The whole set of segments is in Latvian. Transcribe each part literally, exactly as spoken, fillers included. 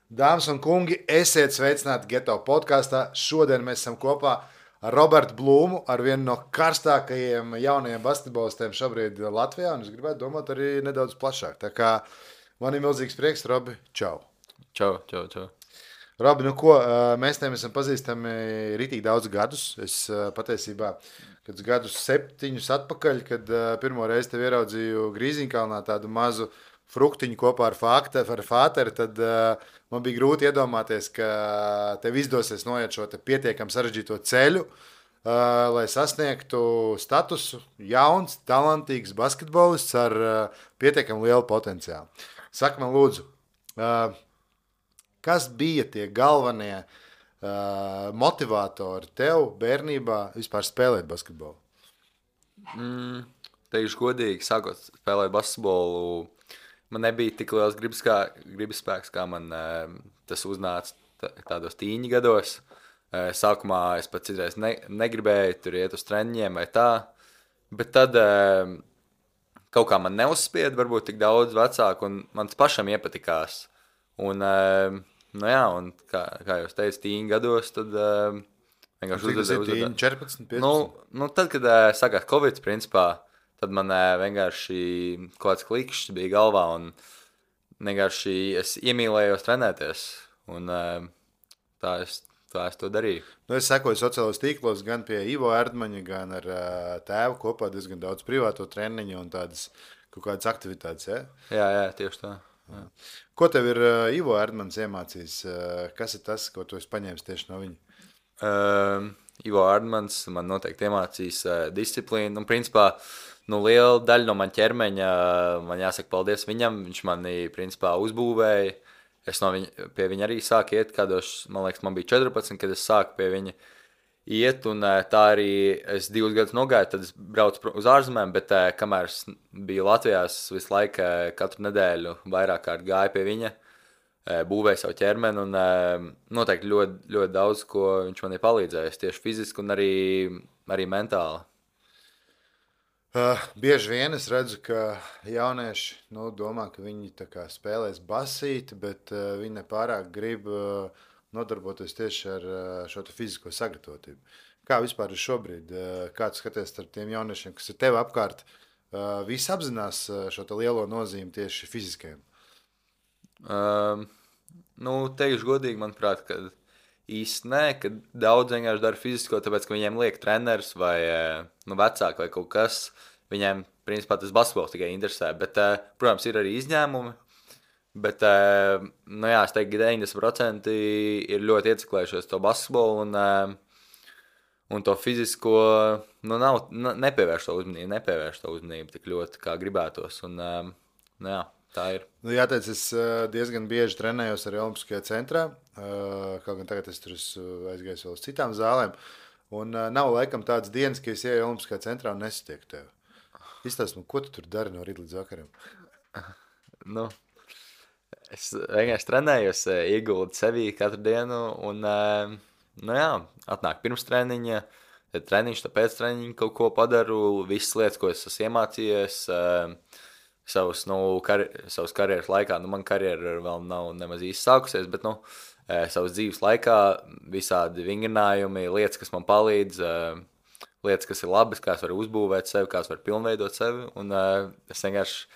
Dāmas un kungi, esiet sveicināti Geto podkāstā. Šodien mēs esam kopā ar Robertu Blūmu, ar vienu no karstākajiem jaunajiem basketbolistiem šobrīd Latvijā. Un es gribētu domāt arī nedaudz plašāk. Tā kā man ir milzīgs prieks, Robi, čau! Čau, čau, čau. Robi, nu ko, mēs tiem esam pazīstami ritīgi daudz gadus. Es patiesībā, kad gadus septiņus atpakaļ, kad pirmo reizi tevi ieraudzīju Grīziņkalnā tādu mazu fruktiņu kopā ar Fāteru, tad uh, man bija grūti iedomāties, ka tev izdosies noiet šo pietiekami sarežģīto ceļu, uh, lai sasniegtu statusu jauns, talantīgs basketbolists ar uh, pietiekami lielu potenciālu. Saka man lūdzu, uh, kas bija tie galvenie uh, motivatori tev bērnībā vispār spēlēt basketbolu? Mm, teikšu godīgi, sākot spēlēt basketbolu, man nebija tik liels gribas, kā, gribas spēks, kā man e, tas uznāca tādos tīņa gados. E, sākumā es pat citreiz ne, negribēju tur iet uz treniņiem vai tā, bet tad e, kaut kā man neuzspied, varbūt tik daudz vecāku, un man tas pašam iepatikās. Un, e, nu jā, un kā, kā jūs teicat, tīņa gados, tad e, vienkārši uzvedēju. Tīņa četrpadsmit, piecpadsmit? Nu, nu tad, kad e, sākās Covid, principā, tad man vienkārši kaut kāds klikšķis bija galvā, un vienkārši es iemīlējos trenēties. Un tā es, tā es to darīju. Nu, es sekoju sociālos tīklos gan pie Ivo Erdmaņa, gan ar tēvu kopā diezgan daudz privāto treniņu un tādas kaut kādas aktivitātes. Ja? Jā, jā, tieši tā. Jā. Ko tev ir Ivo Erdmaņs iemācījis? Kas ir tas, ko tu esi paņēmis tieši no viņa? Uh, Ivo Erdmaņs man noteikti iemācījis uh, disciplīnu. Un principā nu, liela daļa no man ķermeņa, man jāsaka paldies viņam, viņš mani, principā, uzbūvēja. Es no viņa, pie viņa arī sāku iet, kādos, man liekas, man bija četrpadsmit, kad es sāku pie viņa iet, un tā arī es divus gadus nogāju, tad es braucu uz ārzemēm, bet kamēr es biju Latvijā, es visu laiku katru nedēļu vairāk kārt gāju pie viņa, būvēju savu ķermeni, un noteikti ļoti, ļoti daudz, ko viņš man ir palīdzējis, tieši fiziski un arī, arī mentāli. Uh, bieži vien es redzu, ka jaunieši nu, domā, ka viņi tā kā spēlēs basīti, bet uh, viņi nepārāk grib uh, nodarboties tieši ar uh, šo fizisko sagatavotību. Kā vispār ir šobrīd? Uh, kā tu skaties starp tiem jauniešiem, kas ir tev apkārt? Uh, visi apzinās uh, šo lielo nozīmi tieši fiziskajam? Um, nu, teikšu godīgi, manuprāt, ka īsti nē, ka daudz vienkārši dara fizisko, tāpēc, ka viņiem liek treneris vai nu, vecāki vai kaut kas. Viņiem, principā, tas basketbols tikai interesē. Bet, protams, ir arī izņēmumi. Bet, nu jā, es teiktu, ka deviņdesmit procenti ir ļoti ieciklējušies to basketbolu un, un to fizisko, nu nav, nepievērš to uzmanību, nepievērš to uzmanību tik ļoti, kā gribētos. Un, nu jā. Tā ir. Nu, jāteic, es diezgan bieži trenējos arī Olimpiskajā centrā. Kaut gan tagad es tur aizgāju vēl uz citām zālēm. Un nav laikam tādas dienas, ka es ieju Olimpiskajā centrā un nesatieku tevi. Izstāsti, ko tu tur dari no rīta līdz vakaram? Nu, es vienkārši trenējos, ieguldu sevī katru dienu. Un, nu jā, atnāk pirms treniņa, tad treniņš, tad pēc treniņa kaut ko padaru. Visas lietas, ko es esmu iemācījies, Savus, nu, kar, savas karjeras laikā, nu, man karjera vēl nav nemaz īsti sākusies, bet, nu, e, savas dzīves laikā visādi vingrinājumi, lietas, kas man palīdz, e, lietas, kas ir labas, kā es varu uzbūvēt sevi, kā es varu pilnveidot sevi, un e, es vienkārši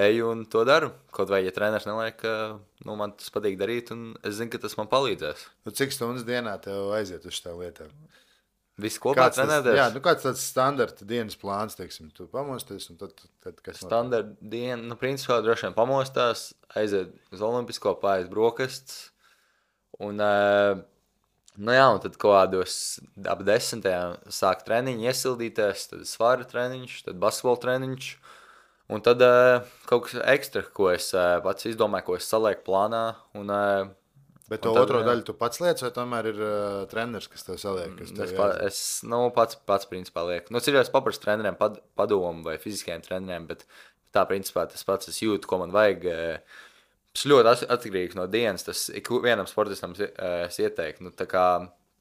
eju un to daru. Kaut vai, ja treneris neliek, ka, nu, man tas patīk darīt, un es zinu, ka tas man palīdzēs. Nu, cik stundas dienā tev aiziet uz šitām lietām? Visi kopā trenēties? Jā, nu kāds tāds standarta dienas plāns, teiksim, tu pamosties un tad, tad kas notiek? Standarta diena, nu, principā droši vien pamostās, aiziet uz olimpisko, pāriet brokastis, un, nu jā, un tad kaut kādos ap desmitajām sāk treniņi iesildīties, tad svara treniņš, tad basketbola treniņš, un tad kaut kas ekstra, ko es pats izdomāju, ko es salieku plānā, un Bet to tad, otro jā. daļu tu pats liec, vai tomēr ir uh, treneris, kas tev saliek? Kas tev es, pa, es nu, pats, pats principā lieku. Nu, citreiz paprastu treneriem pad, padomu vai fiziskajiem treneriem, bet tā principā tas pats es jūtu, ko man vajag. Tas ļoti atkarīgs no dienas, tas vienam sportistam es ieteiktu. Nu, tā kā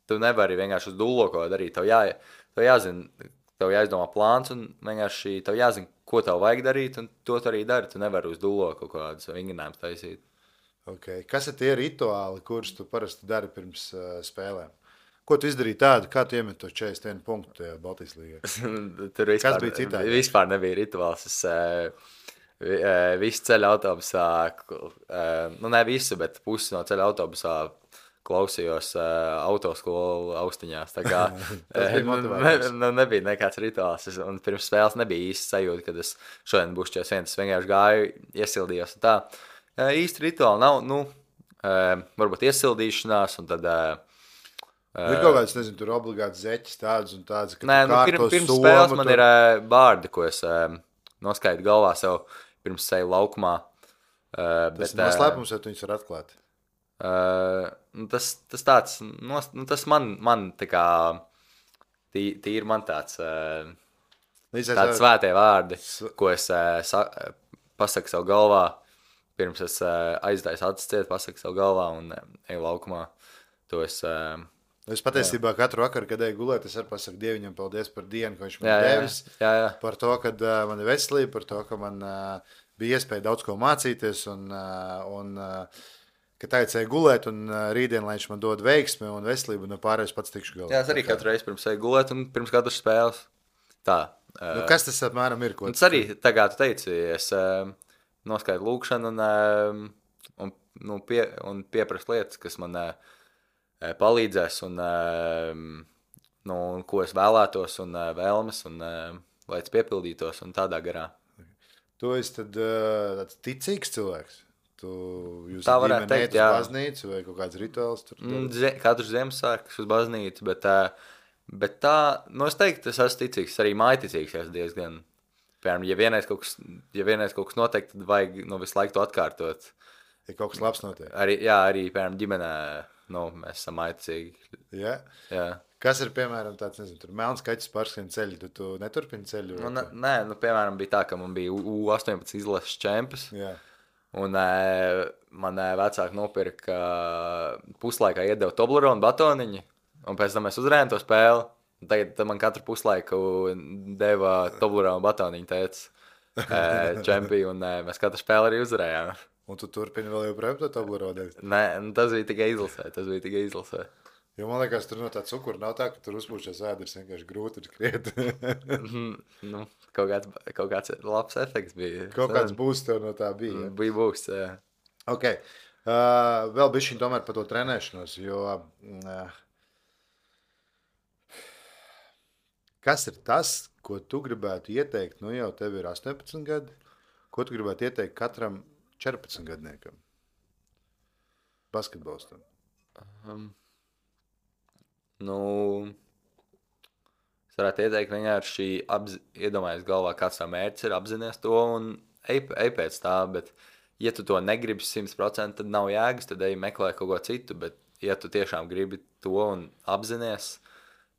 tu nevari vienkārši uz dullo ko darīt, tev, jā, tev jāzina, tev jāizdomā plāns un vienkārši tev jāzina, ko tev vajag darīt, un to tu arī dari. Tu nevari uz dullo kaut kādus vingrinājumus taisīt. Okay. Kas ir tie rituāli, kurus tu parasti dari pirms uh, spēlēm? Ko tu izdarīji tādu, kā tu iemet to četrdesmit vienu punktu tajā Baltijas līgā? Tur vispār, Kas bija citādi? vispār nebija rituāls. Es uh, vi, uh, visu ceļu autobusā, uh, nu ne visu, bet pusi no ceļa autobusā klausījos uh, autoskolu austiņās. Tā kā uh, nu, nebija nekāds rituāls. Es, un pirms spēles nebija īsti sajūta, kad es šodien būšu četrdesmit viens. Es vienkārši gāju, iesildījos un tā. Uh, īsti rituāli nav, nu, uh, varbūt iesildīšanās un tad... Uh, Ir kaut kāds, nezinu, tur obligāti zeķis tāds un tāds, ka nē, nu, pirms, pirms spēles man tur... ir uh, bārdi, ko es uh, noskaitu galvā sev pirms seju laukumā. Uh, tas bet, ir noslēpums, vai tu viņus var atklāt? Uh, nu, tas, tas tāds, nos, nu, tas man, man tā kā, tī, tī ir man tāds, uh, tāds svētie vārdi, ko es uh, sa, pasaku sev galvā, pirms es uh, aizdāju acis ciet, pasaku sev galvā un uh, eju laukumā. To es... Uh, Es patiesībā jā. Katru vakaru, kad eju gulēt, es arī pasaku Dieviņam paldies par dienu, ko viņš man jā, devis. Jā, jā. Par to, ka uh, man ir veselība, par to, ka man uh, bija iespēja daudz ko mācīties un, uh, un uh, ka tagad eju gulēt un uh, rītdien, lai viņš man dod veiksmi un veselību, un pārējais pats tikšu galā. Jā, es arī katru reizi pirms eju gulēt un pirms katras spēles. Tā. Uh, nu, kas tas apmēram ir? Tas arī, tā kā tu teici, es uh, noskaitu lūkšanu un, uh, un, nu, pie, un pieprasu lietas, kas man... Uh, palīdzēs un, nu, un ko es vēlētos un vēlmes un lai tas piepildītos un tādā garā. Tu esi tad tāds ticīgs cilvēks? Tu jūs tā varētu teikt, jā. Uz baznīcu vai kaut kāds rituāls tur? Zie, katrs Ziemassvētkus uz baznīcu, bet, bet tā, nu es teiktu, es esmu ticīgs, arī mājticīgs esmu diezgan. Piemēram, ja vienreiz kaut kas, ja vienreiz kaut kas notiek, tad vajag nu, visu laiku to atkārtot. Ja kaut kas labs notiek. Arī, jā, arī, piemēram, ģimenē. Nu, mēs esam aiticīgi. Ja? Jā. Kas ir, piemēram, tāds, nezinu, tur melns kaķis pārskrien ceļu, tu, tu neturpini ceļu? Nu, ne, nē, nu, piemēram, bija tā, ka man bija U astoņpadsmit izlases čempions. Jā. Un e, man e, vecāki nopirka puslaikā iedeva Toblerone batoniņu, un pēc tam mēs uzvarējām to spēli. Tagad man katru puslaiku deva Toblerone batoniņu teica e, čempionu, un e, mēs katru spēli arī uzvarējām. Un tu turpini vēl joprojām to Toblerone? Nē, tas bija tikai izlasē, tas bija tikai izlasē. Jo man liekas, tur no tā cukura nav tā, ka tur uzpūšies ēders vienkārši grūti ir skriet. nu, kaut, kāds, kaut kāds labs efekts bija. Kaut kāds būs tev no tā bija. Ja? Bija būs, jā. Ok. Uh, vēl bišķiņ tomēr par to trenēšanos, jo uh, kas ir tas, ko tu gribētu ieteikt, nu jau tev ir astoņpadsmit gadi, ko tu gribētu ieteikt katram četrpadsmit gadniekam basketbolistam? Um, nu, es varētu ieteikt vienkārši apzi, iedomājies galvā, kāds tā mērķis ir, apzinies to un ej, ej pēc tā, bet ja tu to negribi simt procenti, tad nav jēgas, tad ej meklē kaut ko citu, bet ja tu tiešām gribi to un apzinies,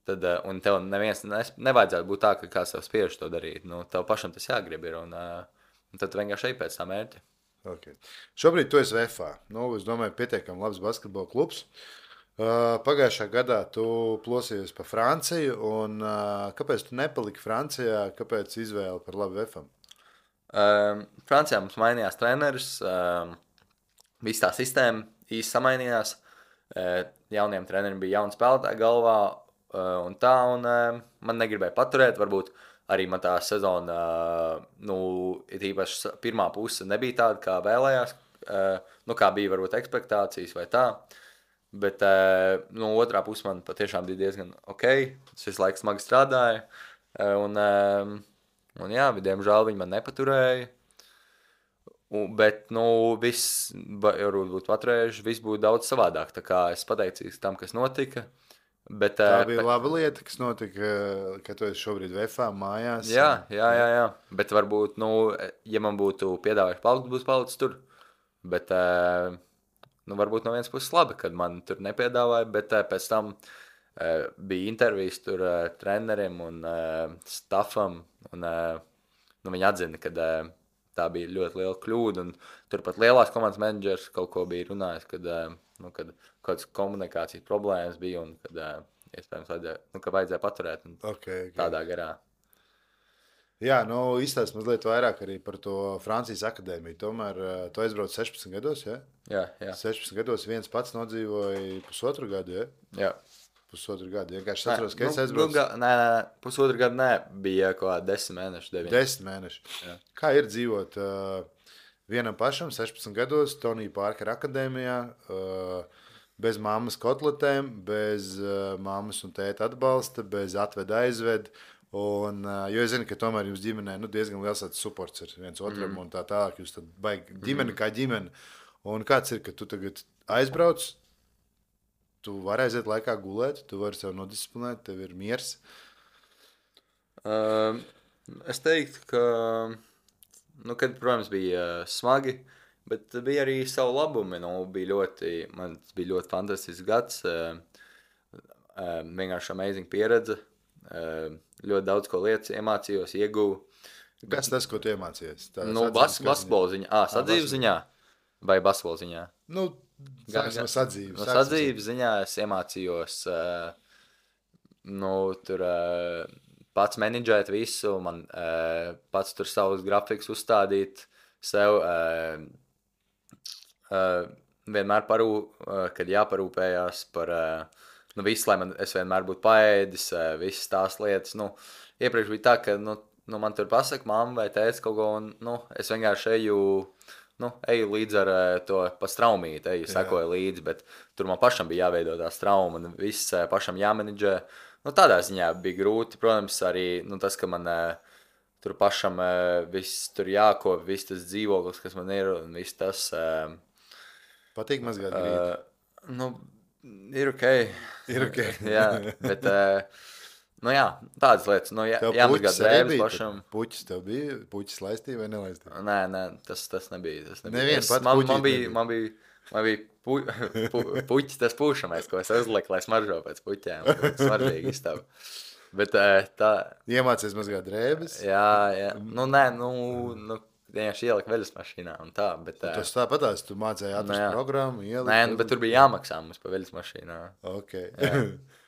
tad, un tev neviens ne, nevajadzētu būt tā, ka kāds tev spiež to darīt, nu, tev pašam tas jāgrib ir, un, un tad tu vienkārši ej pēc tā mērķa. Okay. Šobrīd tu esi V F A. Nu, es domāju, pietiekami labs basketbola klubs. Uh, pagājušā gadā tu plosījies pa Franciju, un uh, kāpēc tu nepaliki Francijā? Kāpēc izvēle par labu V F A? Um, Francijā mums mainījās treneris, um, viss tā sistēma īsti samainījās. Uh, jauniem treneriem bija jauna spēlētāja galvā, uh, un tā, un uh, man negribēja paturēt, varbūt arī man tā sezona, nu, ir īpaši pirmā puse nebija tāda, kā vēlējās, nu, kā bija varbūt ekspektācijas vai tā, bet, nu, otrā puse man patiešām bija diezgan ok, es visu laiku smagi strādāju, un, un jā, diemžēl viņi man nepaturēja, bet, nu, viss, varbūt būtu paturējuši, viss būtu daudz savādāk, tā kā es pateicīgs tam, kas notika. Bet, tā bija bet, laba lieta, kas notika, ka tu esi šobrīd V F A mājās. Jā, jā, jā, jā. Bet varbūt, nu, ja man būtu piedāvājuši palikt, būtu palicis tur. Bet, nu, varbūt no vienas puses labi, kad man tur nepiedāvāja, bet pēc tam bija intervijas tur treneriem un staffam, un nu, viņi atzina, ka tā bija ļoti liela kļūda, un turpat lielās komandas menedžers kaut ko bija runājis, kad, nu, kad kādas komunikācijas problēmas bija, un kad iespējams vajadzēja, nu, ka vajadzēja paturēt okay, okay. tādā garā. Jā, nu, izstāst mazliet vairāk arī par to Francijas akadēmiju. Tomēr uh, tu aizbrauc sešpadsmit gados, ja? Jā, jā. sešpadsmit gados viens pats nodzīvoja pusotru gadu, ja? Jā. Pusotru gadu. Vienkārši atceros, ka nu, es aizbraucu. Nu, ga, nē, nē, pusotru gadu nē, bija kaut kā desmit mēneši, deviņi. Desmit mēneši. Jā. Kā ir dzīvot uh, vienam pašam, sešpadsmit gados, Tonija Parkera akadēmijā, uh, bez mammas kotletēm, bez uh, mammas un tēta atbalsta, bez atveda aizved. Un, uh, jo es zinu, ka tomēr jums ģimenē nu, diezgan liels supports ir viens otram mm. un tā tālāk. Jūs tad baigi ģimeni mm. kā ģimeni. Un kāds ir, ka tu tagad aizbrauc, tu vari aiziet laikā gulēt, tu vari sev nodisciplinēt, tev ir miers? Uh, es teiktu, ka, nu, kad, protams, bija smagi, bet bija arī savu labumi. Nu, bija ļoti, man bija ļoti fantastisks gads, uh, uh, vienkārši amazing pieredze. Uh, ļoti daudz ko lietas iemācījos, ieguvu. Kas tas, ko tu iemācījies? Tā nu, bas, basketbola ziņā. Ā, sadzīves ziņā vai basketbola ziņā? Nu, sāksim no sadzīves. No sadzīves ziņā es iemācījos uh, nu, tur uh, pats menedžēt visu, man uh, pats tur savus grafikus uzstādīt sev. Uh, uh, vienmēr parū, uh, kad jāparūpējās par... Uh, Nu, viss, lai man, es vienmēr būtu paēdis, visas tās lietas. Nu, iepriekš bija tā, ka nu, nu, man tur pasaka mamma vai tētis kaut ko, un nu, es vienkārši eju, nu, eju līdz ar to pa straumīti, eju, sekoju līdzi, bet tur man pašam bija jāveido tā strauma, un viss pašam jāmenedžē. Nu, tādā ziņā bija grūti, protams, arī nu, tas, ka man tur pašam viss tur jākop, viss tas dzīvoklis, kas man ir, un viss tas... Patīk mazgāt grīdu? Uh, nu, Ir ok. Ir ok. jā, bet, nu jā, tādas lietas, nu jā, jāmazgā drēbes pašam. Puķis tev bija, puķis laistīja vai nelaistīja? Nē, nē, tas, tas nebija. Tas nebija. Neviens pats man, puķis man bija, nebija. man bija, man bija pu, pu, puķis tas pušamais, ko es uzliku, lai smaržo pēc puķēm. Smaržīgi izstāv. Bet tā... Iemācies mazgāt drēbes? Jā, jā. Nu, nē, nu... nu vienkārši ielika veļas mašīnā un tā, bet... Un tas tāpatās, tu mācēji atrast nu, programmu, ielika... Nē, nu, bet tur bija jāmaksā mums pa veļas mašīnā. Ok.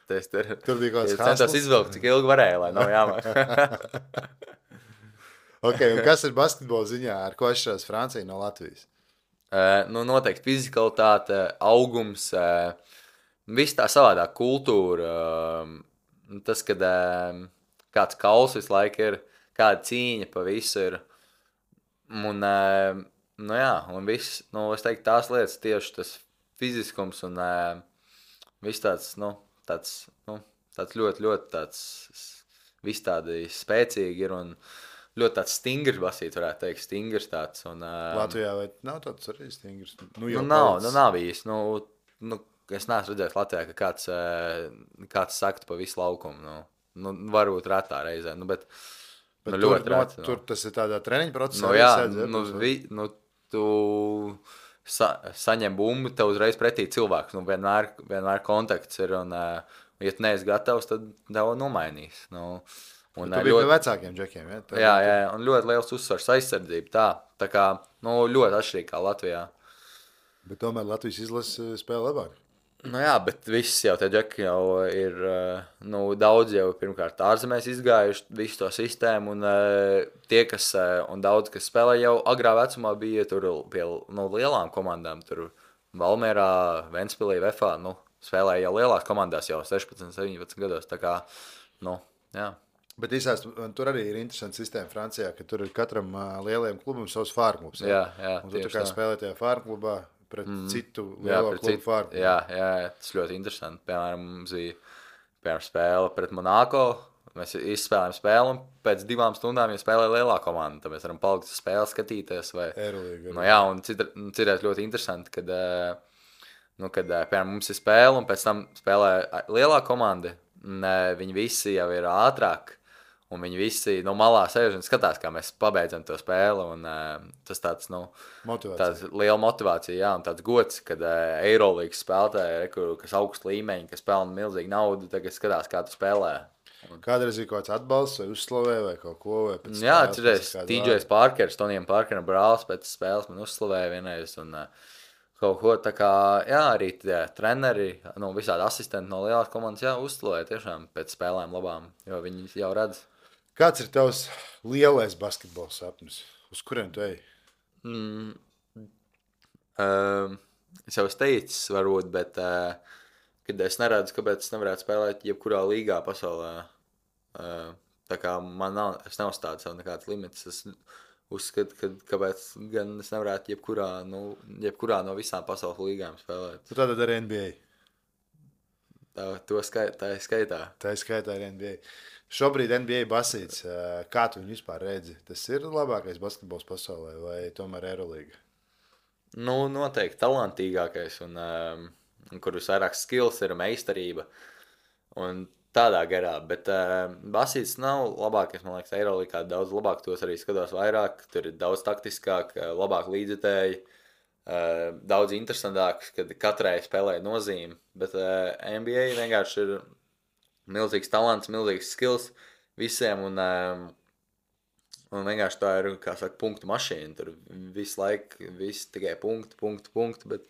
Tas tur... Tur bija kaut kāds hastles. Centos izvilkt, cik ilgi varēja, lai nav jāmaksā. Ok, un kas ir basketbola ziņā, ar ko atšķirās Francija no Latvijas? Uh, nu, noteikti fizikalitāte, augums, uh, viss tā savādāk kultūra, uh, tas, kad uh, kāds kauls visu laiku ir, kāda cīņa pa visu ir. Un, nu jā, un viss, nu, es teiktu, tās lietas tieši tas fiziskums un viss tāds, nu, tāds, nu, tāds ļoti, ļoti tāds, viss tādi spēcīgi ir un ļoti tāds stingrs basīt, varētu teikt, stingrs tāds. Un, Latvijā vai nav tāds arī stingrs? Nu, nu, nav, nu, nav īsti, nu, nu, es neesmu redzējis Latvijā, ka kāds, kāds saktu pa visu laukumu, nu, nu, varbūt retā reizē, nu, bet... Bet nu, tur, ļoti rēt, no, tur tas ir tādā treniņa procesā. Nu, jā, sēdz, nu, vi, nu, tu sa, saņem bumbu, tev uzreiz pretī cilvēks. Nu, vienmēr, vienmēr kontakts ir, un, uh, ja tu neesi gatavs, tad tev nomainīs. Nu, un, tu biji ļoti... pie vecākiem džekiem, ja? Tā jā, jā, un ļoti liels uzsvars aizsardzība, tā. Tā kā, nu, ļoti atšķirīgi kā Latvijā. Bet tomēr Latvijas izlase spēlē labāk. Nu jā, bet viss jau tie džeki jau ir, nu, daudz jau pirmkārt ārzemēs izgājuši visu to sistēmu, un tie, kas, un daudz, kas spēlē jau agrā vecumā bija tur pie, nu, lielām komandām, tur Valmierā, Ventspilī, Vefā, nu, spēlēja jau lielās komandās jau sešpadsmit, septiņpadsmit gados, tā kā, nu, jā. Bet īsās, tur arī ir interesanta sistēma Francijā, ka tur ir katram lielajam klubam savs fārklubs. Jā, jā, un tu tā kā spēlē tajā fārklubā, pret mm. citu lielo klubu citu, fārmu. Jā, jā, tas ļoti interesanti. Piemēram, mums bija piemēram, spēle pret Monako. Mēs izspēlējām spēli, un pēc divām stundām jau spēlēja lielā komanda. Tad mēs varam palikt uz spēli, skatīties. Vai... Eirolīga. Nu, jā, un citreiz ļoti interesanti, kad, nu, kad piemēram, mums ir spēle, un pēc tam spēlē lielā komanda. Viņi visi jau ir ātrāk. Un viņi visi no malā sēž un skatās, kā mēs pabeidzam to spēli. Un, uh, tas tāds, nu, tāds liela motivācija, jā, un tāds gods, kad uh, Eirolīgas spēlētāji, kas augsts līmeņi, kas pelna milzīgu naudu, tagad skatās, kā tu spēlē. Un... Kādreiz ir kaut kāds atbalsts vai uzslavē vai kaut ko? Vai pēc jā, atceries, T J Parkers, Tonijam Parkeram brālis pēc spēles man uzslavēja vienreiz. Un, uh, kaut ko tā kā, jā, arī tie treneri, nu, visādi asistenti no lielās komandas, jā, uzslavēja tiešām pēc spēlēm labām, jo viņi jau redz. Kāds ir tavs lielais basketbola sapnis? Uz kuriem tu ej? Mm, uh, es jau esmu teicis, varbūt, bet uh, kad es neredzu, kāpēc es nevarētu spēlēt jebkurā līgā pasaulē. Uh, tā kā man nav, es neuzstādu sev nekāds limits. Es uzskatu, ka kāpēc gan es nevarētu jebkurā, nu, jebkurā no visām pasaules līgām spēlēt. Tu tātad arī N B A. Tā, to skait, tā ir skaitā. Tā ir skaitā arī N B A. Šobrīd N B A basīts, kā tu viņu vispār redzi? Tas ir labākais basketbols pasaulē vai tomēr Eirolīga? Nu, noteikti talantīgākais un, um, un kur visvairāk skills ir meistarība un tādā garā, bet uh, basīts nav labākais, man liekas, Eirolīgā daudz labāk, tos arī skatos vairāk, tur ir daudz taktiskāk, labāk līdzjutēji, uh, daudz interesantāks, kad katrai spēlē nozīme, bet uh, N B A vienkārši ir milzīgs talants, milzīgs skills visiem un um, Un vienkārši tā ir, kā saka, punktu mašīna. Tur visu laiku, viss tikai punkti, punkti, punkti, bet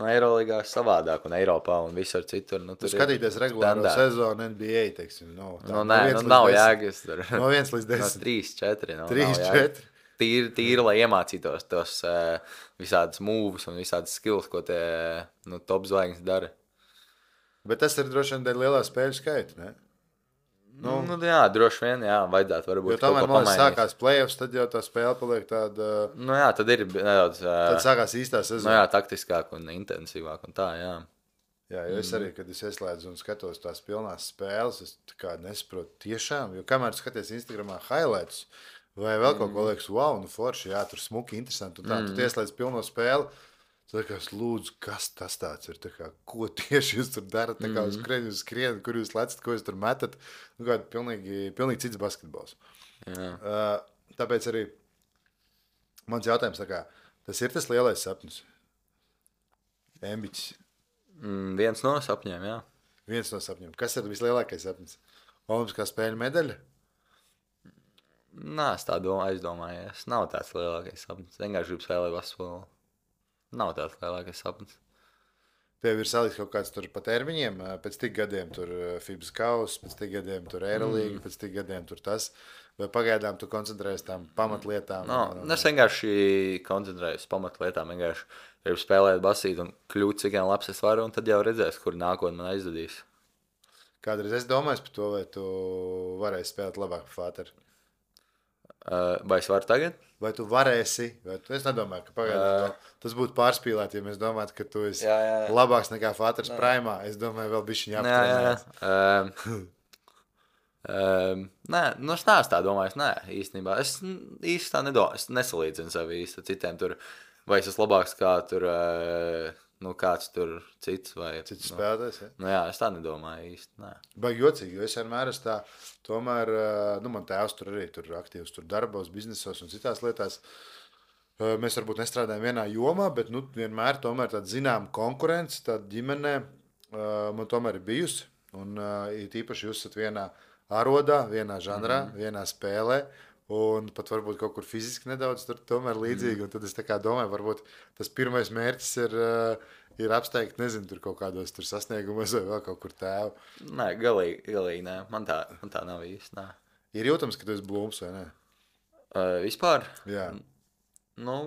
no Eirolīgā ir savādāk un Eiropā un visur citur. Nu, tur skatīties regulāro sezonu N B A, teiksim, no, tā, nu, nē, no nu, nav jēgas tur. No viens līdz desmit. No trīs, četri. No, trīs, četri. Tīri, tīri, lai iemācītos tos uh, visādas mūvus un visādas skills, ko tie nu, top zvaigznes dara. Bet tas ir droši vien dēļ lielā spēļu skaita, ne? Nu, nu, jā, droši vien, jā, vajadzētu varbūt jo tomēr, man liekas, sākās play-offs, tad jau tā spēle paliek tāda... Nu jā, tad ir nedaudz... Tad sākās īstā sezona. Nu jā, taktiskāk un intensīvāk un tā, jā. Jā, jo es arī, kad es ieslēdzu un skatos tās pilnās spēles, es tā kā nesaprotu tiešām, jo kamēr skaties Instagramā highlights vai vēl kaut ko liekas, wow, nu forši, jā, tur smuki, interesanti, un tā, mm. tu ieslēdz pilno spēli, tad kā es lūdzu, kas tas tāds ir, tā kā, ko tieši jūs tur darat, tā kā uz kurien jūs skrienat, kur jūs lecat, ko jūs tur metat, nu kā pilnīgi, pilnīgi cits basketbols. Jā. Uh, tāpēc arī mans jautājums, tā kā, tas ir tas lielais sapnis? Embiķis. Mm, viens no sapņiem, jā. Viens no sapņiem. Kas ir vislielākais sapnis? Olimpiskā spēļu medaļa? Nā, es tā domāju, aizdomājies. Nav tāds lielākais sapnis. Vienkārši gribu spēlēt basketbolu. Nav tāds lielākais sapnis. Tev ir salikts kaut kāds tur pa termiņiem, pēc tik gadiem tur Fibas kauss, pēc tik gadiem tur Eirolīga, mm. pēc tik gadiem tur tas, vai pagaidām tu koncentrējies tām pamatlietām? No, un, es vienkārši koncentrējos pamatlietām, vienkārši gribu spēlēt basīt un kļūt cik gan labs es varu, un tad jau redzēs, kur nākotnē man aizdadīs. Kādreiz es domāju par to, vai tu varēsi spēlēt labāk par Fāteru? Uh, vai es varu tagad? Vai tu varēsi, vai tu, es nedomāju, ka pagaidām uh, tas būtu pārspīlēt, ja mēs domātu, ka tu esi jā, jā, jā. labāks nekā Fāters primā. Es domāju, vēl bišķiņ jāpatrenējās. Um, um, nē, nu es neesmu tā domājis, nē, īstenībā. Es īsti tā nedomāju, es nesalīdzinu sevi īsti citiem tur, vai es esmu labāks kā tur, uh, nu kāds tur cits vai... Cits nu, spēlētājs, ja? Nu jā, es tā nedomāju īsti, nē. Baigi jocīgi, jo es vienmēr esmu tā, tomēr, nu man tēvs tur arī tur aktīvs tur darbos, biznesos un citās lietās. Mēs varbūt nestrādājam vienā jomā, bet nu vienmēr tomēr tāda zinām konkurence, tāda ģimenē man tomēr ir bijusi. Un īpaši jūs esat vienā arodā, vienā žanrā, mm. vienā spēlē. Un pat varbūt kaut kur fiziski nedaudz tur tomēr līdzīgi. Mm. Un tad es tā kā domāju, varbūt tas pirmais mērķis ir, ir apsteigt, nezinu, tur kaut kādos tur sasniegumos vai vēl kaut kur tēvu. Nē, galīgi, galīgi nē. Man tā, man tā nav īsti, nē. Ir jūtams, ka tu esi blūms vai ne? Uh, vispār? Jā. Nu,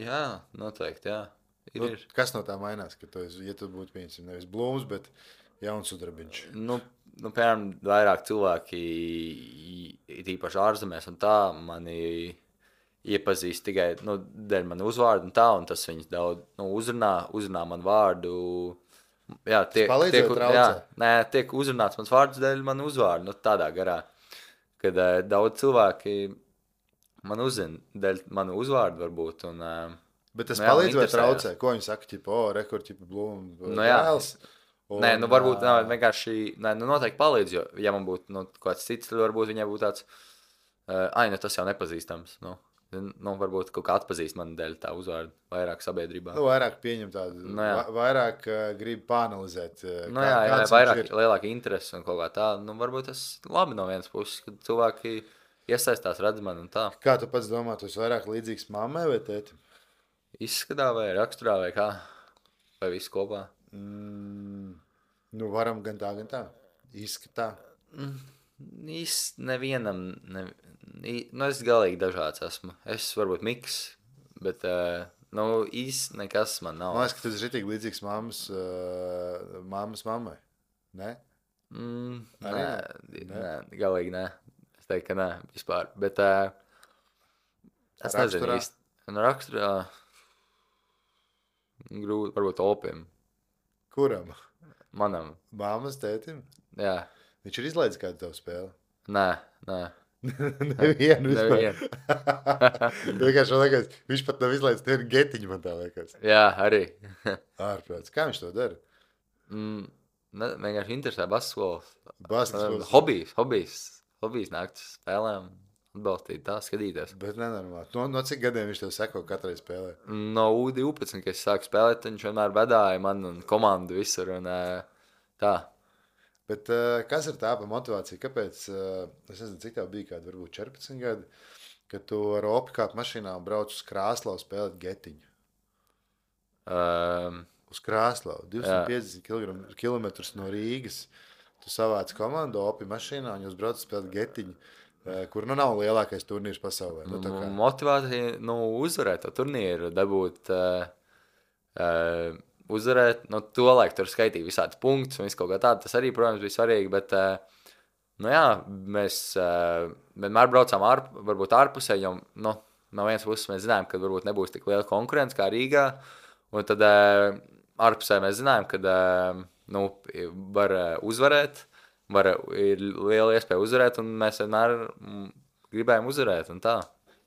jā, noteikti, jā. Ir, nu, ir. Kas no tā mainās, ka tu esi, ja tu būtu pieņemsim nevis blūms, bet jauns sudrabiņš? Nu, nu, piemēram, vairāk cilvēki, īpaši ārzemēs un tā, mani iepazīst tikai, nu, dēļ mani uzvārdu un tā, un tas viņus daudz, nu, uzrunā, uzrunā man vārdu. Jā, tiek, tiek, jā, nē, tiek uzrunāts mans vārds dēļ man uzvārdu, nu, tādā garā, kad uh, daudz cilvēki man uzzina dēļ manu uzvārdu varbūt, un... Uh, bet tas nu, jā, palīdz vai traucē? Ko viņi saka, ķipa, o, rekord, ķipa, blūm, nu, vēls? Un, nē, nu varbūt nā, vienkārši, nē, nu noteikti palīdz, jo, ja man būtu, nu, kāds cits, tad varbūt viņai būtu tāds, uh, ai, nu tas jau nepazīstams, nu, nu, varbūt kaut kā atpazīst mani dēļ tā uzvārdu, vairāk sabiedrībā. Nu, vairāk pieņem tādu, nu, va vairāk uh, grib pāanalizēt. Uh, nu, jā, jā, vairāk, lielāka interese un kaut kā tā, nu, varbūt tas labi no vienas puses, kad cilvēki iesaistās, redz mani un tā. Kā tu pats domā, tu esi vairāk līdzīgs mammai vai tētim? Izskatā vai raksturā vai kā? Vai viss kopā? Mm, nu, varam gan tā, gan tā. Izskatā. Mm, īsti nevienam, ne, nu es galīgi dažāds esmu. Es varbūt miks, bet, uh, nu, īsti nekas man nav. Man liekas, ka tu esi ritīgi līdzīgs mammas, uh, mammas mammai. Ne? Mm, Arī nē, ne? nē, galīgi nē. Es teiktu, ka nē, vispār. Bet uh, es nezinu Raksturā? īsti. Nu, raksturā grūti, varbūt opim. Kuram? Manam, Māmas tētim? jā. Viņš ir izlaidis kādu tavu spēli. Nē, nē. Nevienu vispār. Nevienu. Vienkārši man liekas, viņš pat nav izlaidis nevienu getiņu, man tā liekas. Jā, arī. Ārprāts. Kā viņš to dara? mm, ne, vienkārši interesē basketbols. Basketbols. Hobijs, hobijs. Hobijs nākt uz spēlēm, atbalstīt tā, skatīties. Bet nenormāli. No, no cik gadiem viņš tev seko katrai spēlē? No U divpadsmit, kad es sāku spēlēt, viņš vienmēr vedāja man un komandu visur un uh, tā. Bet uh, kas ir tā pa motivācija? Kāpēc, uh, es nezinu, cik tev bija kādi, varbūt četrpadsmit gadi, kad tu ar opi kāp mašīnā un brauc uz Krāslavu spēlēt getiņu? Um, Uz Krāslavu, divsimt piecdesmit kilometrus no Rīgas. Tu savāc komandu opi mašīnā un jūs braucat spēlēt getiņu, uh, kur nu nav lielākais turnīrs pasaulē. Nu, tā kā. Motivācija, nu, uzvarēt to turnīru, dabūt, uh, uh, uzvarēt, nu, to laiku tur skaitīja visādas punktus un visu kaut kā tādu. Tas arī, protams, bija svarīgi, bet, uh, nu jā, mēs uh, vienmēr braucām ārp, varbūt ārpusē, jo, nu, no vienas puses mēs zinājām, ka varbūt nebūs tik liela konkurence kā Rīgā, un tad uh, ārpusē mēs zinājām, ka, uh, nu, var uh, uzvarēt, var, ir liela iespēja uzvarēt, un mēs vienmēr mm, gribējām uzvarēt, un tā.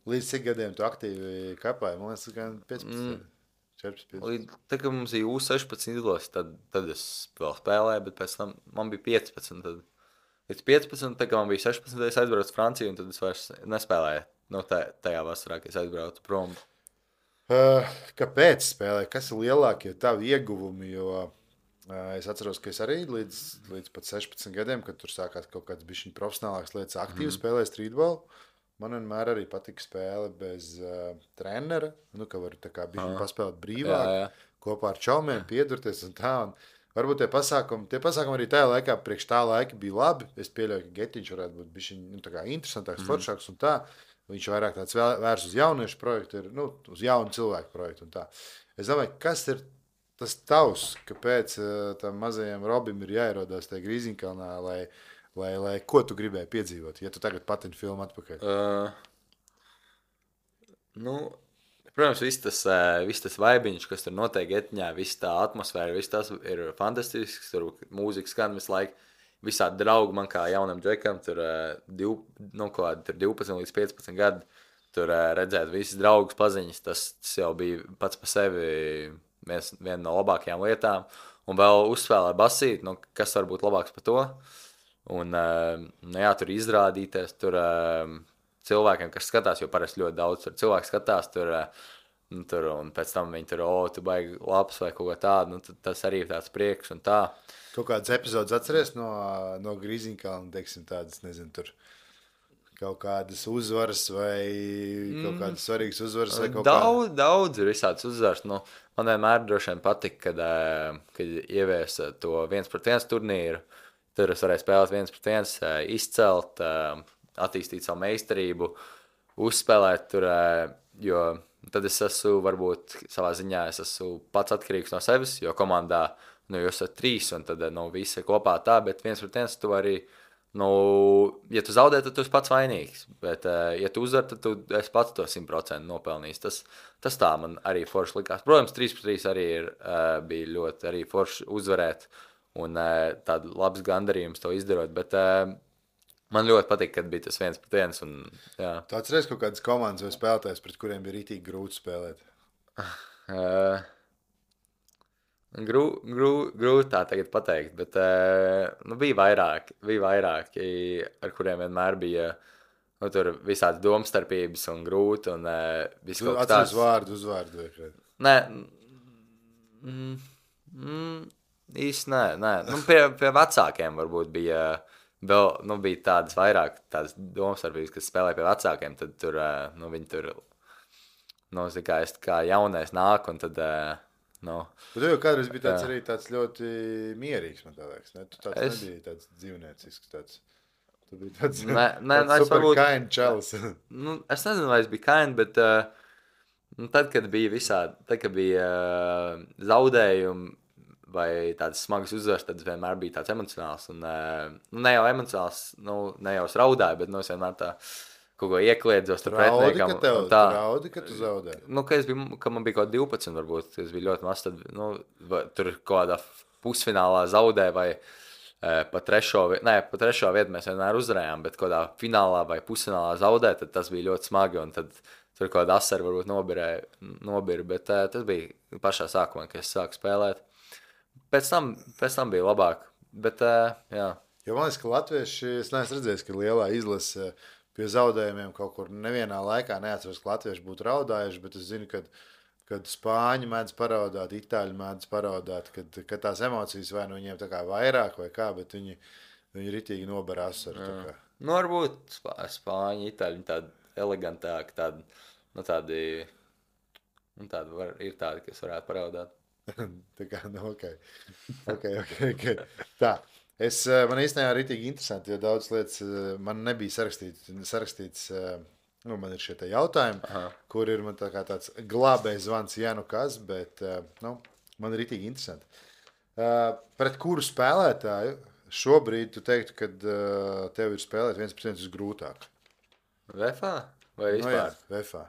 Līdz cik gadiem tu aktīvi kapāji? Man liekas, ka piecpadsmit. Mm. četrpadsmit, piecpadsmit. Līdz, tad, kad mums bija U sešpadsmit izlases, tad, tad es vēl spēlēju, bet pēc tam man bija piecpadsmit. Tad, līdz piecpadsmit, tad, kad man bija sešpadsmit, es aizbraucu uz Franciju, un tad es vairs nespēlēju. Nu, tā, tajā vasarā, kad es aizbraucu prom. Uh, kāpēc spēlē? Kas ir lielākie tavi ieguvumi? Jo uh, es atceros, ka es arī līdz, līdz pat sešpadsmit gadiem, kad tur sākās kaut kāds bišķiņ profesionālāks lietas, aktīvi mm. spēlēju streetbolu. Man vienmēr arī patika spēle bez uh, trenera, nu, ka var tā kā bišķiņ paspēlēt brīvāk, jā, jā. Kopā ar čaumiem, piedurties un tā. Un varbūt tie pasākumi, tie pasākumi arī tajā laikā, priekš tā laika bija labi. Es pieļauju, ka Getiņš varētu būt bišķiņ, nu, tā kā interesantāks, mm. foršāks un tā. Viņš vairāk tāds vērs uz jauniešu projektu, ir, nu, uz jaunu cilvēku projektu un tā. Es domāju, kas ir tas tavs, kāpēc uh, tam mazajam Robim ir jāierodās tajā Grīziņkalnā, lai Lai, lai ko tu gribēji piedzīvot, ja tu tagad patini filmu atpakaļ? Uh, nu, protams, viss tas, uh, viss tas vaibiņš, kas tur notiek etņā, viss tā atmosfēra, viss tas ir fantastisks, tur mūzika skan visu laiku, visādi draugi man kā jaunam džekam, tur, uh, div, nu, kādi, tur divpadsmit līdz piecpadsmit gadi, tur uh, redzēt visas draugus paziņas, tas, tas jau bija pats pa sevi viens, viena no labākajām lietām, un vēl uzspēlē basīt, nu, kas var būt labāks par to. Un, nu jā, tur izrādīties, tur cilvēkiem, kas skatās, jo parasti ļoti daudz tur cilvēku skatās, tur, nu, tur, un pēc tam viņi tur, o, tu baigi labs vai kaut ko tādu, nu, tas arī ir tāds prieks un tā. Kaut kādas epizodes atceries no, no Grīziņkalna, teiksim, tādas, nezinu, tur kaut kādas uzvaras vai kaut kādas svarīgas uzvaras vai kaut daudz, kāda? Daudz ir visādas uzvaras, nu, man vienmēr droši vien patika, kad, kad ieviesa to viens pret viens turnīru. Tur es varēju spēlēt viens pret viens, izcelt, attīstīt savu meistarību, uzspēlēt tur, jo tad es esmu varbūt savā ziņā, es esmu pats atkarīgs no sevis, jo komandā, nu, jūs esat trīs un tad, nu, visi kopā tā, bet viens pret viens tu arī, nu, ja tu zaudē, tad tu esi pats vainīgs, bet, ja tu uzvar, tad tu esi pats to simt procenti nopelnījis. Tas, tas tā man arī forši likās. Protams, trīs pret trīs arī ir, bija ļoti arī forši uzvarēt. Un uh, tāda labs gandarījums to izdarot, bet uh, man ļoti patīk, kad bija tas viens pret viens. Un, jā. Tu atceries kaut kādas komandas vai spēlētājs, pret kuriem bija rītīgi grūti spēlēt? Uh, grū, grū, grūti tā tagad pateikt, bet uh, nu, bija vairāk, bija vairāki, ar kuriem vienmēr bija nu, tur visādas domstarpības un grūti. Un, uh, viss kaut kas tāds. Atceries vārdu, uzvārdu vai kādu? Nē, mm, mm, īsti nē, nē. Nu, pie, pie vecākiem varbūt bija, vēl, nu, bija tādas vairāk tādas domstarpības, kas spēlē pie vecākiem, tad tur, nu, viņi tur, nu, kā, es, kā jaunais nāk, un tad, nu. Bet tu jau kādreiz bija tāds arī tāds ļoti mierīgs, man tā liekas, ne? Tu tāds es... nebija tāds dzīvniecisks, tāds, Tu biji tāds, Nē, nē, tāds nu, es super varbūt- kaini čalis. Nu, es nezinu, vai es biju kaini, bet uh, nu, tad, kad bija visādi, tad, kad bija uh, zaudējumi vai tādas smagas uzvaras, tad es vienmēr biju tāds emocionāls. Un, uh, nu, ne jau emocionāls, nu, ne jau es raudāju, bet nu, es vienmēr tā kaut ko iekliedzos ar Raudi, pretiniekam. ka tev, un tā. tu raudi, ka tu zaudē. Nu, ka, es biju, ka man bija kaut kāda divpadsmit, varbūt, es biju ļoti maz, tad nu, va- tur kaut kādā pusfinālā zaudēja vai uh, pa trešo, vi- nē, pa trešo vietu mēs vienmēr uzvarējām, bet kaut kādā finālā vai pusfinālā zaudēja, tad tas bija ļoti smagi, un tad tur kaut kāda asara varbūt nobirēja, nobira, bet uh, tas bija pašā sākumā, kad es sāku spēlēt. Pēc tam, pēc tam bija labāk, bet uh, jā. Jo man liekas, ka latvieši, es neesmu redzējis, ka lielā izlase pie zaudējumiem kaut kur nevienā laikā neatceros, ka latvieši būtu raudājuši, bet es zinu, ka kad spāņi mēdz paraudāt, itāļi mēdz paraudāt, kad, kad tās emocijas vai nu viņiem tā kā vairāk vai kā, bet viņi, viņi ritīgi nober asaru. tā kā. Nu, varbūt spā, spāņi, itāļi, tādi elegantāki, tādi, nu, tādi, nu, tādi var, ir tādi, kas varētu paraudāt. Tā kā, nu, ok. okay, okay, okay. Tā. Es, man īstenībā ritīgi interesanti, jo daudz lietas man nebija sarakstīts, sarakstīts nu, man ir šie te jautājumi, Aha. kur ir man tā kā tāds glābējs zvans, ja nu kas, bet, nu, man ir ritīgi interesanti. Pret kuru spēlētāju šobrīd tu teiktu, kad tev ir spēlēt viens pret viens grūtāk? Vefā? Vai Nu, jā, vispār? Vefā.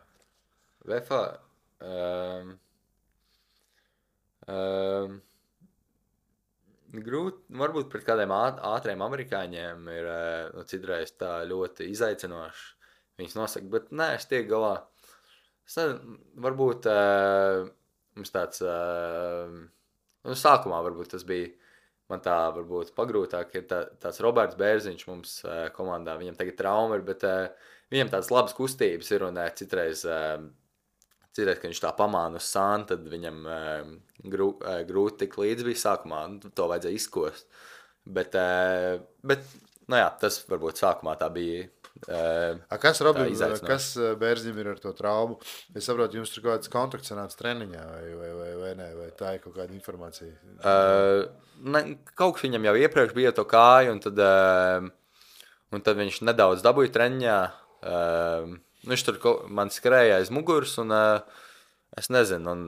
Vefā? Um, um, grūti, varbūt pret kādiem āt- ātriem amerikāņiem ir eh, nu, citreiz tā ļoti izaicinoši. Viņus nosaka, bet nē, es tiek galā. Es nezinu, varbūt uh, mums tāds, uh, nu, sākumā varbūt tas bija, man tā varbūt pagrūtāk, ir tā, tāds Roberts Bērziņš mums uh, komandā, viņam tagad trauma ir, bet uh, viņam tādas labas kustības ir un uh, citreiz, uh, citreiz, kad viņš tā pamāna uz sānu, tad viņam uh, grū, uh, grūti tik līdz bija sākumā, nu, to vajadzēja izkost. Bet, uh, bet, nu jā, tas varbūt sākumā tā bija. Uh, A, kas Robim, izaicinoši. kas Bērziņam ir ar to traumu? Es saprotu, jums tur kaut kāds kontakts sanāca treniņā vai, vai, vai, vai ne, vai tā ir kaut kāda informācija? Uh, ne, kaut kas viņam jau iepriekš bija to kāju, un tad, uh, un tad viņš nedaudz dabūja treniņā. Uh, viņš tur ko, man skrēja aiz muguras, un uh, es nezinu, un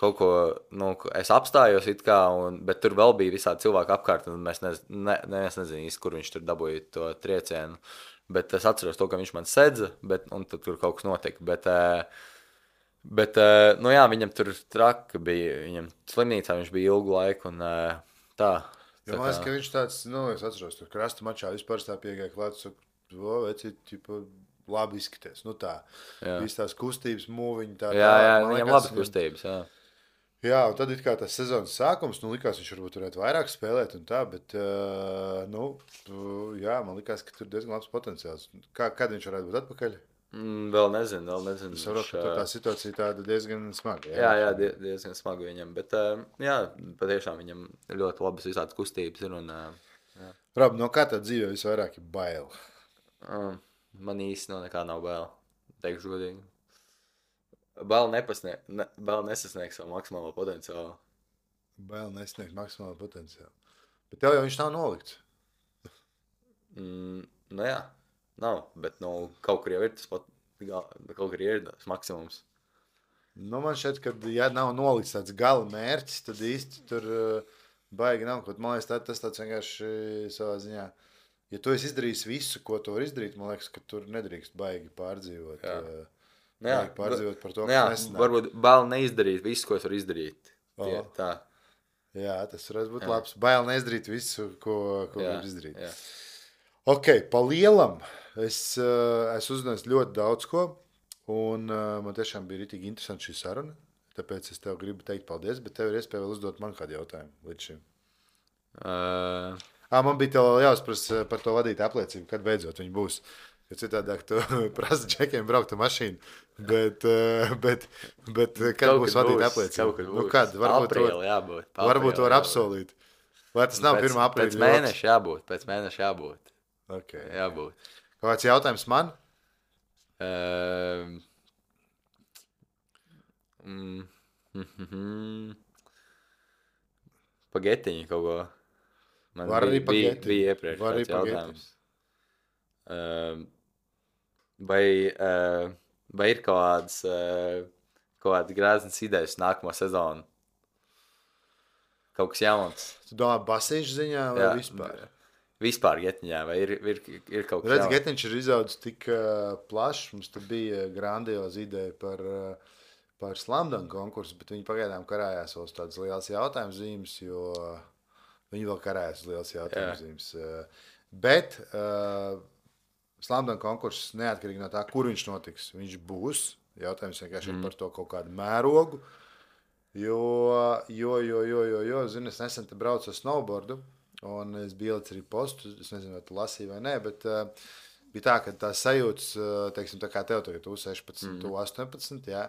kaut ko, nu, es apstājos it kā, un, bet tur vēl bija visādi cilvēki apkārt, un mēs nez, ne, ne, es nezinu īsti, kur viņš tur dabūja to triecienu. Bet es atceros to, ka viņš man sedza, bet, un tad tur kaut kas notika. Bet, uh, bet uh, nu jā, viņam tur traki bija, viņam slimnīcā viņš bija ilgu laiku, un uh, tā. Jo, man liekas, ka viņš tāds, nu, es atceros, tur krasta mačā vispār tā piegāja klāt, saka, o, veci, tipa, labi izskaties. Nu tā, Jā. viss tās kustības, mūviņi, tā, Jā, jā, man viņam liekas, labas kustības, jā. Jā, un tad it kā tas sezonas sākums, nu, likās, viņš varbūt varētu vairāk spēlēt un tā, bet, uh, nu, jā, man likās, ka tur diezgan labs potenciāls. Kā, kad viņš varētu būt atpakaļ? Mm, vēl nezinu, vēl nezinu. Es saprotu, ka tur tā situācija tāda diezgan smaga. Jā, jā, die, diezgan smagi viņam, bet, uh, jā, patiešām viņam ļoti labas visādas kustības ir, un, uh, Rob, no kā tā dzīvē visvairāk ir bail? uh, man īsti no nekā nav bail, teikšu godīgi. Bail, nepasnieg, ne, bail nesasniegs savu maksimālo potenciālu. Bail nesniegt maksimālu potenciālu. Bet tev jau viņš nav nolikts. Mm, nu jā, nav, bet nu, kaut kur jau ir tas, pat, kaut kur ir tas maksimums. Nu, man šķiet, ka, ja nav nolikts tāds gala mērķis, tad īsti tur uh, baigi nav. Kaut, man liekas, tā, tas tāds vienkārši savā ziņā. Ja tu esi izdarījis visu, ko tu vari izdarīt, man liekas, ka tur nedrīkst baigi pārdzīvot. Jā. Uh, Nu jā, baigi pārdzīvot par to, nu jā, kas nesnāk. varbūt bail neizdarīt visu, ko es varu izdarīt. Tie, O. tā. Jā, tas varētu būt Jā. labs. Bail neizdarīt visu, ko, ko Jā, var izdarīt. jā. Ok, pa lielam es, uh, es uzzināju ļoti daudz ko, un uh, man tiešām bija ritīgi interesanti šī saruna, tāpēc es tev gribu teikt paldies, bet tev ir iespēja vēl uzdot man kādu jautājumu līdz šim. Uh, À, man bija tev jāuzprasa par to vadītāju apliecību, kad beidzot viņi būs. Jo citādāk tu prasa džekiem braukt ar mašīnu, bet, uh, bet, bet kad Kaut būs kad vadītāja būs, apliecība? kaut kad Nu, būs. kad? Varbūt to, Aprīlī jābūt. pa varbūt to aprīlī var jābūt. apsolīt. Vai tas nav Pēc- pirmā aprīļa? Pēc mēneša jābūt, pēc mēneša jābūt. Okay. jābūt. Kāds jautājums man? Uh, mm, mm, mm, Pagetiņi kaut ko. Man Var arī bija, bija, pagetiņi. bija iepriekš Var arī tāds jautājums. Uh, vai, uh, vai ir kaut kādas, uh, kaut kādas grāznas idejas nākamā sezona? Kaut kas jauns. Tu domā basīšu ziņā vai Jā, vispār? Vispār Getņā, vai ir, ir, ir kaut kas Redz, jauns? Getniņš ir izaudzis tik uh, plašs, mums tur bija grandioza ideja par, uh, par slamdanu konkursu, bet viņi pagaidām karājās vēl uz tādas lielas jautājumu zīmes, jo viņi vēl karājās uz lielas jautājumu Jā. zīmes. Uh, bet uh, slamdanu konkurss neatkarīgi no tā, kur viņš notiks, viņš būs. Jautājums vienkārši mm. ir par to kaut kādu mērogu. Jo, jo, jo, jo, jo, jo zini, es nesen te braucu ar snowboardu, un es biju ielicis arī postu, es nezinu, vai tu lasīji vai nē, bet uh, bija tā, ka tā sajūtas, uh, teiksim, tā kā tev tagad, tu sešpadsmit, mm. tu astoņpadsmit, jā,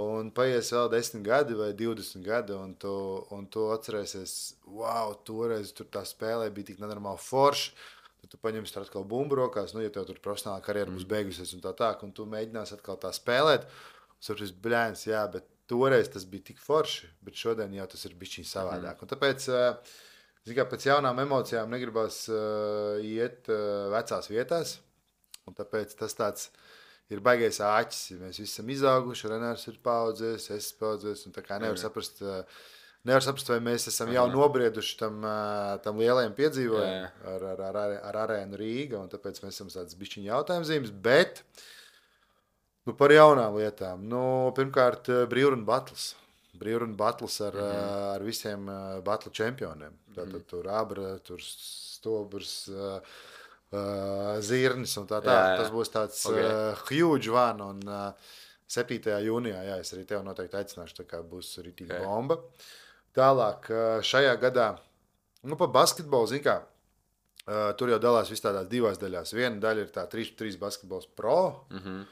un paies vēl desmit gadi vai divdesmit gadi, un tu, un tu atcerēsies, wow, toreiz tur tā spēlē bija tik nenormāli forši, tad tu paņemsi tur atkal bumbu rokās, nu, ja tev tur profesionāla karjera būs beigusies un tā tā, un tu mēģinās atkal tā spēlēt, un saprast, bļēns, jā, bet toreiz tas bija tik forši, bet šodien jau tas ir bišķiņ savādāk. Mm. Un tāpēc, kā, pēc jaunām emocijām negribas uh, iet uh, vecās vietās, un tāpēc tas tāds ir baigais āķis. Mēs visi esam izauguši, Renārs ir paudzies, es paudzies, un tā kā nevar saprast, uh, nevar saprast, vai mēs esam jau nobrieduši tam, uh, tam lielajam piedzīvojumam ar, ar, ar, ar arēnu Rīga, un tāpēc mēs esam tāds bišķiņ jautājumzīmes, bet nu, par jaunām lietām. Nu, pirmkārt, brīvrunu battles. Brīvrunu battles ar, mm-hmm. ar visiem battle čempioniem. Tātad mm-hmm. tur Abra, tur Stobrs, uh, uh, Zirnis un tā tā. Jā, jā. Tas būs tāds okay. uh, huge one. Un uh, septītajā jūnijā, jā, es arī tev noteikti aicināšu, tā kā būs ritīga okay. bomba. Tālāk, uh, šajā gadā, nu, pa basketbolu, zin kā, uh, tur jau dalās vis tādās divās daļās. Viena daļa ir tā trīs pret trīs basketbols pro, mm-hmm.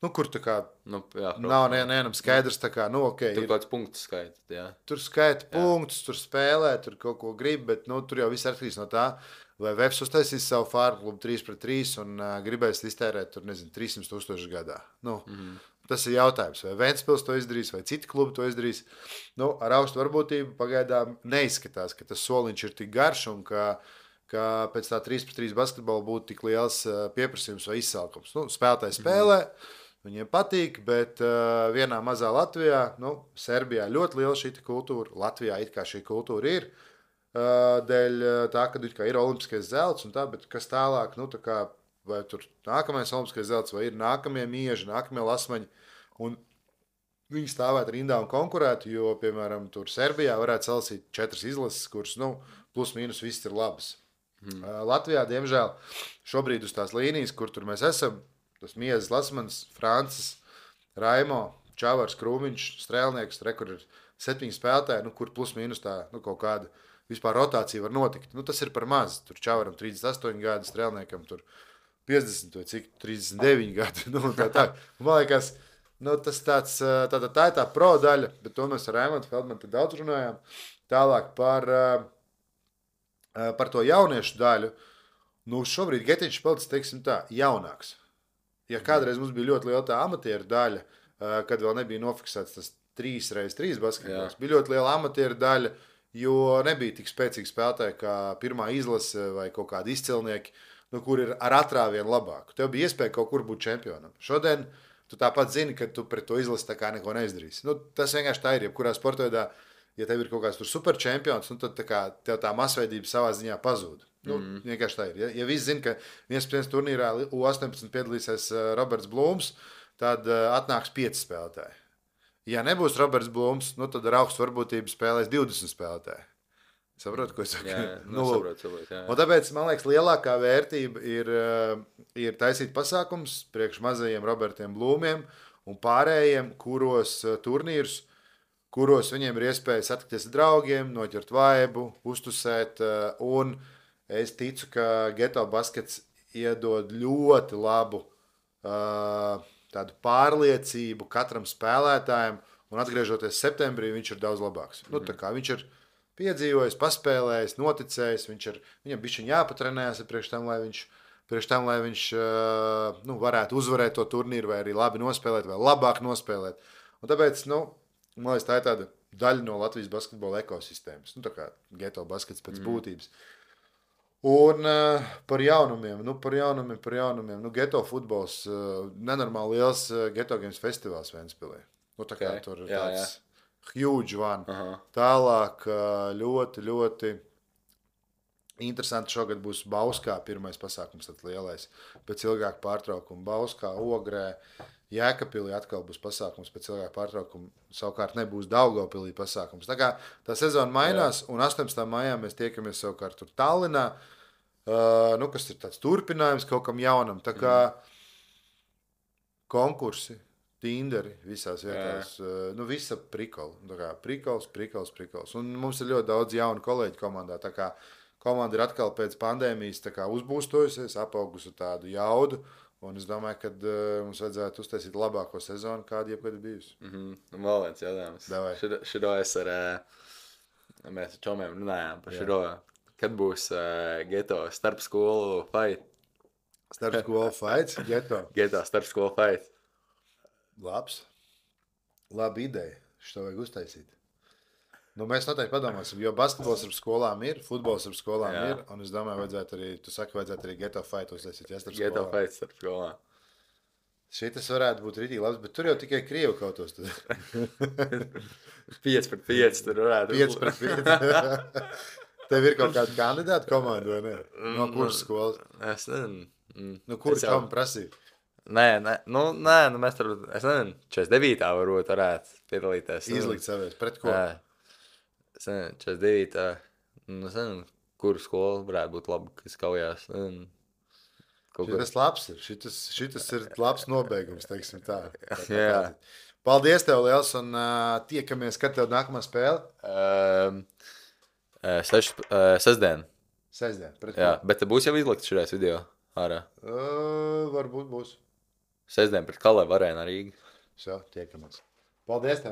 Nu, kur tā kā nu, jā, nav nevienam skaidrs, tā kā, nu, ok. Tur kāds punkts skaita, jā. Tur skaita punktus, tur spēlē, tur kaut ko grib, bet, nu, tur jau viss atkarīgs no tā, vai Vefs uztaisīs savu fārmu klubu trīs pret trīs un uh, gribēs iztērēt, tur, nezinu, trīssimt tūkstoši gadā. Nu, mm-hmm. Tas ir jautājums, vai Ventspils to izdarīs, vai citi klubi to izdarīs. Nu, ar augstu varbūtību pagaidām neizskatās, ka tas soliņš ir tik garš un ka, ka pēc tā trīs pret trīs basketbola būtu tik liels uh, pieprasījums vai izsalkums. Nu, spēlētāji spēlē. Mm-hmm. Viņiem patīk, bet uh, vienā mazā Latvijā, nu, Serbijā ļoti liela šī kultūra, Latvijā it kā šī kultūra ir, uh, dēļ tā, ka it kā ir olimpiskais zelts un tā, bet kas tālāk, nu, tā kā, vai tur nākamais olimpiskais zelts, vai ir nākamie mieži, nākamie lasmaņi, un viņi stāvētu rindā un konkurētu, jo, piemēram, tur Serbijā varētu salasīt četras izlases, kuras, nu, plus mīnus viss ir labas. Hmm. Uh, Latvijā, diemžēl, šobrīd uz tās līnijas, kur tur mēs esam, tas Miezes Lasmans, Francis, Raimo, Čavars, Krūmiņš, Strēlnieks, re, kur ir septiņi spēlētāji, nu, kur plus mīnus tā, nu, kaut kāda vispār rotācija var notikt. Nu, tas ir par maz. Tur Čavaram trīsdesmit astoņi gadi, Strēlniekam tur piecdesmit vai cik, trīsdesmit deviņi gadi. Nu, tā, tā. Man liekas, nu, tas tāds, tā, tā, tā ir tā pro daļa, bet to mēs ar Raimondu Feldmanu te daudz runājām. Tālāk par, par to jauniešu daļu. Nu, šobrīd Getiņš palicis, teiksim tā, jaunāks. Ja kādreiz mums bija ļoti liela tā amatieru daļa, kad vēl nebija nofiksēts tas trīs pret trīs basketbols, bija ļoti liela amatieru daļa, jo nebija tik spēcīgi spēlētāji kā pirmā izlase vai kaut kādi izcilnieki, nu, kur ir ar atrāvienu labāku. Tev bija iespēja kaut kur būt čempionam. Šodien tu tāpat zini, ka tu pret to izlasi tā kā neko neizdarīsi. Nu, tas vienkārši tā ir, jebkurā sportveidā, ja tev ir kaut kāds tur super čempions, nu, tad tā kā tev tā masveidība savā ziņā pazūd. Nu, mm. Vienkārši tā ir. Ja, ja visi zina, ka viens pēc turnīrā U astoņpadsmit piedalīsies uh, Roberts Blūms, tad uh, atnāks pieci spēlētāji. Ja nebūs Roberts Blūms, nu, tad ar augstu varbūtību spēlēs divdesmit spēlētāji. Saprotu, ko es saku? Jā, nu, saprot, saprot, jā. Un tāpēc, man liekas, lielākā vērtība ir, uh, ir taisīt pasākums priekš mazajiem Robertiem Blūmiem un pārējiem, kuros uh, turnīrus, kuros viņiem ir iespēja satikties ar draugiem, noķert vaibu, uztusēt uh, un es ticu, ka Geto baskets iedod ļoti labu uh, tādu pārliecību katram spēlētājam, un atgriežoties septembrī, viņš ir daudz labāks. Mm-hmm. Nu, tā kā viņš ir piedzīvojis, paspēlējis, noticējis, viņš ir, viņam bišķiņ jāpatrenējas priekš tam, lai viņš, priekš tam, lai viņš uh, nu, varētu uzvarēt to turnīru, vai arī labi nospēlēt, vai labāk nospēlēt. Un tāpēc, nu, man liekas, tā ir tāda daļa no Latvijas basketbola ekosistēmas. Nu, tā kā Geto baskets pēc mm. būtības. Un uh, par jaunumiem, nu, par jaunumiem, par jaunumiem. Nu, geto futbols, uh, nenormāli liels uh, geto games festivāls Ventspilī. Nu, tā kā Okay. tur ir Jā, tāds huge one. Aha. Tālāk uh, ļoti, ļoti interesanti šogad būs Bauskā pirmais pasākums, tad lielais. Pēc ilgāka pārtraukuma Bauskā, Ogrē, Jēkabpilī atkal būs pasākums pēc ilgāka pārtraukuma. Savukārt nebūs Daugavpilī pasākums. Tā kā tā sezona mainās, un astoņpadsmitā maijā mēs tiekamies savukārt tur Tallinā. Uh, nu, kas ir tāds turpinājums kaut kam jaunam. Tā kā konkursi, tinderi visās vietās. Uh, nu, visa prikola. Tā kā prikols, prikols, prikols. Un mums ir ļoti daudz jaunu kolēģu komandā. Tā kā komanda ir atkal pēc pandēmijas tā kā uzbūstojusies, apaugusi tādu jaudu. Un es domāju, ka uh, mums vajadzētu uztaisīt labāko sezonu, kāda jebkad ir bijusi. Mm -hmm. Vēl viens jautājums. Davai. Šito, šito es ar, uh, mēs ar čomiem runājām par Jā. šito, kad būs uh, geto starp skolu fight. Starp skolu fights, geto. Geto starp skolu fight. Labs. Laba ideja. Šo vajag uztaisīt. Nu, mēs noteikti padomāsim, jo basketbols ar skolām ir, futbols ar skolām Jā. ir, un es domāju, vajadzētu arī, tu saki, vajadzētu arī geto fight uztaisīt, ja starp Geto skolām. fight starp skolām. Šitas varētu būt rītīgi labs, bet tur jau tikai krievu kautos. pieci pret pieci tur varētu pieci pret pieci. Tev ir kaut kāda kandidāta komanda, vai ne? No kuras skolas? Es nezinu. Mm. Nu, kur Es jau- kam prasīja? Nē, nē, nu, nē, nu mēs tur, es nezinu, četrdesmit devītā varbūt varētu piedalīties. Nu, Izlikt savies, pret ko? Jā. Es nezinu, četrdesmit devītā Nu, es nezinu, kuru skolu varētu būt labi, kas kaujās. Nezinu. Kaut kur. Šitas labs ir, šitas, šitas ir labs nobeigums, teiksim tā. Tā kā Jā. tā. Paldies tev liels un uh, tiekamies, kad tev nākamā spēle? Um, seš, uh, sestdien. Sestdien, pret Jā, ko? bet te būs jau izlikts šajās video ārā. Uh, varbūt būs. Sestdien pret Kalēvu arēnu Rīgā. Šo, tiekamies. Paldies tev!